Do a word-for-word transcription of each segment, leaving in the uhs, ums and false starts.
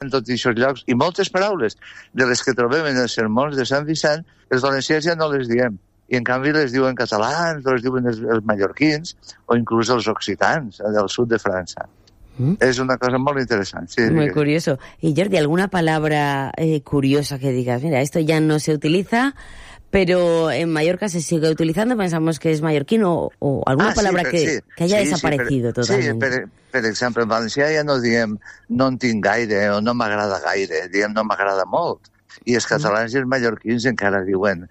en tots aquests llocs, i moltes paraules de les que trobem en els sermons de Sant Vicent, els valencians ja no les diem, i en canvi les diuen catalans, o les diuen els, els mallorquins, o inclús els occitans del sud de França. Mm. Es una cosa muy interesante. Sí, muy curioso. Y Jordi, ¿alguna palabra eh, curiosa que digas, mira, esto ya no se utiliza, pero en Mallorca se sigue utilizando, pensamos que es mallorquín, o, o alguna ah, palabra sí, que, sí, que haya sí, desaparecido sí, per, totalmente? Sí, per, per exemple, en valencià ja no diem no en tinc gaire o no m'agrada gaire, diem no m'agrada molt. I els catalans mm. i els mallorquins encara diuen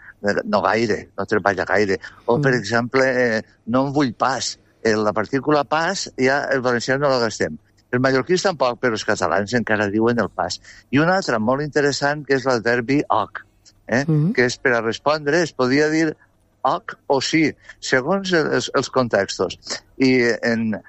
no gaire, no treballa gaire. O, per mm. exemple, eh, no en vull pas. La partícula pas ja el valencià no la gastem. Els mallorquins tampoc, però els catalans encara diuen el pas. I una altra molt interessant, que és l'adverbi oc, eh? Mm-hmm. que és per a respondre, es podia dir oc o sí, segons els, els contextos. I en,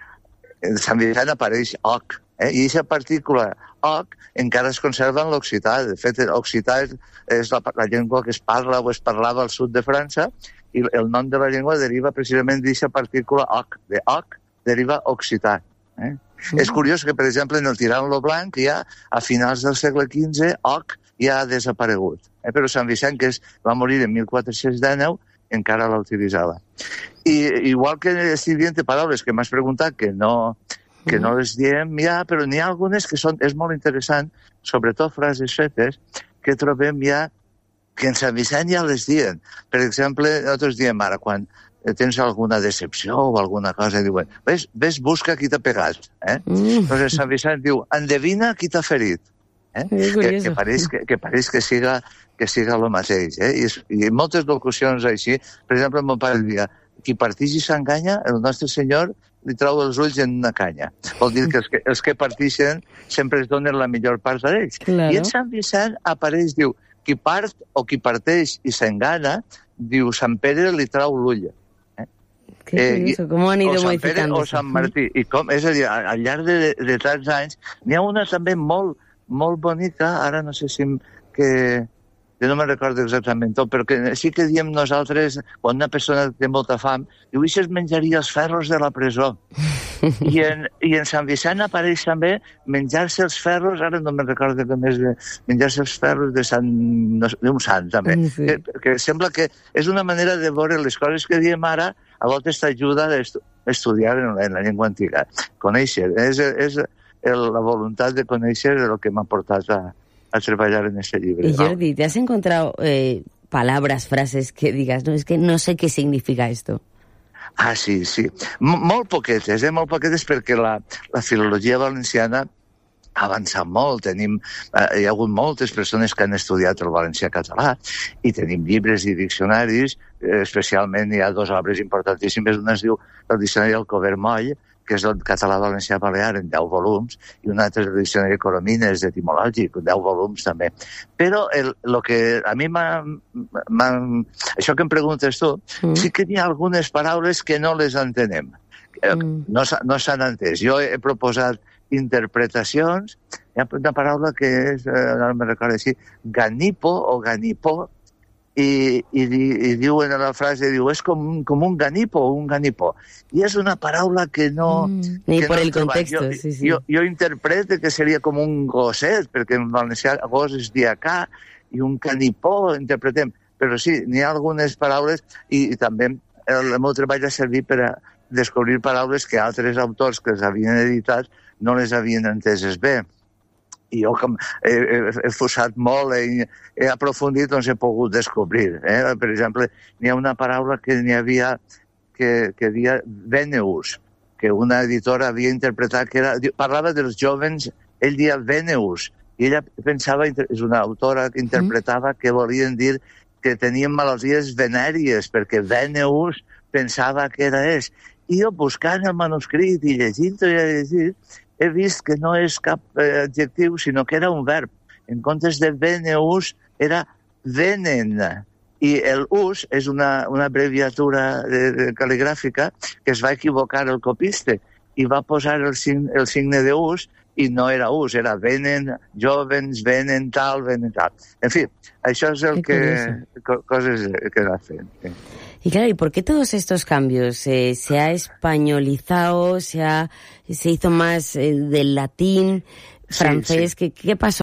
en Sant Vicent apareix oc, eh? i aquesta partícula oc encara es conserva en l'occità. De fet, l'occità és, és la, la llengua que es parla o es parlava al sud de França, i el nom de la llengua deriva precisament d'aquesta partícula oc. De oc deriva occità. Eh? Mm. És curiós que, per exemple, en el Tirant lo Blanc, ja a finals del segle quinze, oc ja ha desaparegut. Eh? Però Sant Vicent, que és, va morir en mil quatre-cents dinou, encara la utilitzava. I igual que estic dient paraules que m'has preguntat que no, que mm. no les diem ja, però n'hi ha algunes que són, és molt interessant, sobretot frases fetes, que trobem ja que en Sant Vicent ja les diuen. Per exemple, nosaltres diem ara, quan tens alguna decepció o alguna cosa, diuen, ves, ves busca qui t'ha pegat. Eh? Mm. Doncs Sant Vicent diu, endevina qui t'ha ferit. Eh? Que, que, pareix que, que pareix que siga, que siga el mateix. Eh? I, I moltes locucions així, per exemple, mon pare diria, qui partix i s'enganya, el nostre senyor li trau els ulls en una canya. Vol dir que els que, els que partixen sempre es donen la millor part d'ells. Claro. I en Sant Vicent apareix, diu, qui part o qui parteix i s'engana, diu, Sant Pere li trau l'ull. Eh? Que curioso, com han ido modificant. O Sant Martí. I com, és a dir, al llarg de, de tants anys, n'hi ha una també molt, molt bonica, ara no sé si que... Jo no me'n recordo exactament tot, però que sí que diem nosaltres, quan una persona té molta fam, diu, i es menjaria els ferros de la presó. I en, I en Sant Vicent apareix també menjar-se els ferros, ara no me'n recordo com és, menjar-se els ferros de Sant, no, d'un sant, també. Sí. Que, que sembla que és una manera de veure les coses que diem ara, a voltes t'ajuda a estu, estudiar en la, en la llengua antiga. Conèixer, és, és el, la voluntat de conèixer el que m'ha portat a a treballar en este llibre. Y Jordi, ¿te has encontrado eh, palabras, frases que digas, no, es que no sé qué significa esto? Ah, sí, sí. M molt poquetes, eh? Molt poquetes, perquè la, la filologia valenciana ha avançat molt. Tenim, eh, hi ha hagut moltes persones que han estudiat el valencià català i tenim llibres i diccionaris, eh, especialment hi ha dues obres importantíssimes. Una es diu el diccionari Alcover Moll, que és el català valencià balear en deu volums, i un altre el diccionari Coromines etimològic, deu volums també. Però el, el que a mi m'ha... Això que em preguntes tu, mm. sí que hi ha algunes paraules que no les entenem. Mm. No, no s'han entès. Jo he proposat interpretacions. Hi ha una paraula que és, no me'n recordo així, ganipo o ganipó, I, i, i diuen a la frase, diu, és com, com un ganipo o un ganipó. I és una paraula que no... Mm, ni que por no el contexto, jo, sí, sí. Jo, jo interpreto que seria com un gosset, perquè en valencià gos és diacà, i un canipó interpretem. Però sí, n'hi ha algunes paraules, i, i també el meu treball ha servit per a descobrir paraules que altres autors que les havien editat no les havien enteses bé. I jo, com he, he, he fosat molt, he, he aprofundit, doncs he pogut descobrir. Eh? Per exemple, n'hi ha una paraula que n'hi havia que, que deia Veneus, que una editora havia interpretat, que era, parlava dels jovens, ell deia Veneus, i ella pensava, és una autora que interpretava que volien dir que tenien malalties venèries, perquè Veneus pensava que era és. I jo, buscant el manuscrit i llegint-ho i llegint, he vist que no és cap eh, adjectiu, sinó que era un verb. En comptes de veneus, era venen. I el us és una, una abreviatura de, de cal·ligràfica que es va equivocar el copiste i va posar el, sign, el signe de us i no era us, era venen, jovens, venen tal, venen tal. En fi, això és el que, co, coses que va fent. Sí. Y claro, ¿y por qué todos estos cambios? Eh, ¿Se ha españolizado? ¿Se, ha, se hizo más eh, del latín? francés, sí, sí. ¿qué, qué pasó